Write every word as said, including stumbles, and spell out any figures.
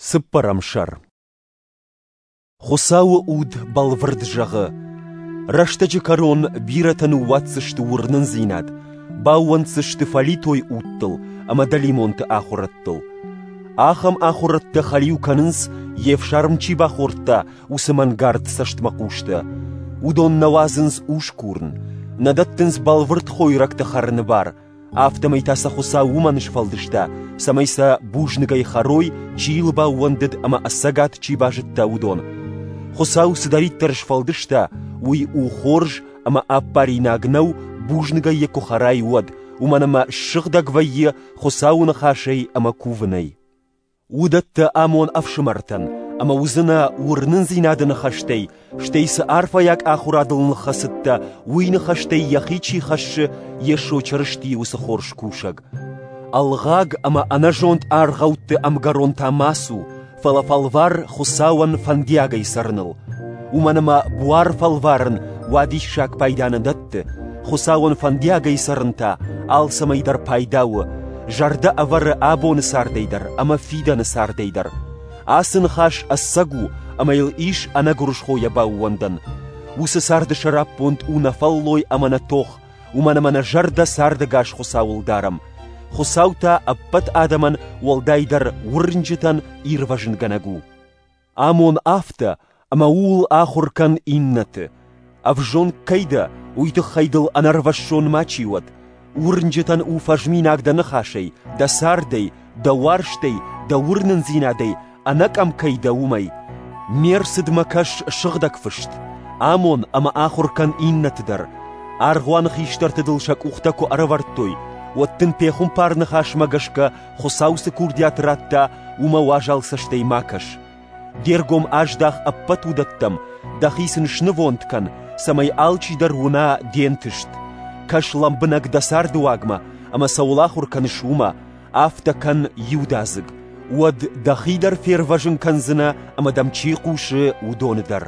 Цыппӕрӕм сӕр. Хуыцауы уд бӕлвырд зӕгъы: рӕстӕджы кӕрон бирӕтӕ ныууадздзысты уырнындзинад, баууӕнддзысты фӕлитой удтыл ӕмӕ дӕлимонты ахуырӕдтыл. Ахӕм ахуырӕдтӕ хӕлиу кӕнынц, йе фсарм чи бахордта, уыцы мӕнгард цӕстмӕхъустӕ. Уыдон нӕ уадзынц ус курын, нӕ дӕттынц бӕлвырд хойрӕгтӕ хӕрыны бар, афтӕмӕй та сӕ Хуыцау уымӕн сфӕлдыста, цӕмӕй сӕ бузныгӕй хӕрой, чи йыл баууӕндыд ӕмӕ ӕцӕгад чи базыдта, уыдон. Хуыцау цыдӕриддӕр сфӕлдыста, уый у хорз ӕмӕ ӕппаринаг нӕу, бузныгӕй йӕ куы хӕрай, уӕд, уымӕн ӕмӕ ссыгъдӕг вӕййы Хуыцауы ныхасӕй ӕмӕ кувынӕй. Уыдӕттӕ амон ӕфсымӕртӕн, ӕмӕ уыдзынӕ уырнындзинады ныхӕстӕй, стӕй цы арфӕйаг ахуырадыл ныххӕцыдтӕ, уый ныхӕстӕй йӕхи чи хӕссы, Йесо Чырыстийы уыцы хорз кусӕг. Ӕлгъаг ӕмӕ ӕнӕзонд аргъӕутты ӕмгӕрон та ма цу, фӕлӕ фӕлвар Хуыцауӕн фӕндиагӕй цӕрыныл. Уымӕн ӕмӕ буар фӕлварын уадиссаг пайда нӕ дӕтты, Хуыцауӕн фӕндиагӕй цӕрын та алцӕмӕй дӕр пайда у, зӕрдӕ ӕвӕры абоны цардӕй дӕр ӕмӕ фидӕны цардӕй дӕр. Ацы ныхас ӕцӕг у, ӕмӕ йыл ис ӕнӕгуырысхойӕ баууӕндӕн. Уыцы царды сӕраппонд у нӕ фӕллой ӕмӕ нӕ тох, уымӕн ӕмӕ нӕ зӕрдӕ цардӕгас Хуыцауыл дарӕм. Хуыцау та ӕппӕт адӕмӕн, уӕлдайдӕр уырнджытӕн, ирвӕзынгӕнӕг у. Амон афтӕ, ӕмӕ ууыл ахуыр кӕн иннӕты. Ӕвзонг кӕй дӕ, уый тыххӕй дыл ӕнӕрвӕссон мачи уӕд. Уырнджытӕн у фӕзминаг дӕ ныхасӕй, дӕ цардӕй, дӕ уарзтӕй, дӕ уырнындзинадӕй, ӕнӕкъӕм кӕй дӕ, уымӕй. Ме рцыдмӕ кӕс сыгъдӕг фыст, амон ӕмӕ ахуыр кӕн иннӕты дӕр. Аргъуаны хистӕрты дыл сӕ къухтӕ куы ӕрӕвӕрдтой, уӕд дын пехуымпар ныхасмӕ гӕсгӕ Хуыцау цы курдиат радта, уымӕ уазал цӕстӕй ма кӕс. Де ргом аздах ӕппӕт уыдӕттӕм, дӕхи сын снывонд кӕн, цӕмӕй алчидӕр уына де нтыст. Кӕс лӕмбынӕг дӕ царды уагмӕ ӕмӕ цӕуыл ахуыр кӕныс, уымӕ, афтӕ кӕн иудадзыг. Уӕд дӕхи дӕр фервӕзын кӕндзынӕ ӕмӕ дӕм чи хъусы, уыдоны дӕр.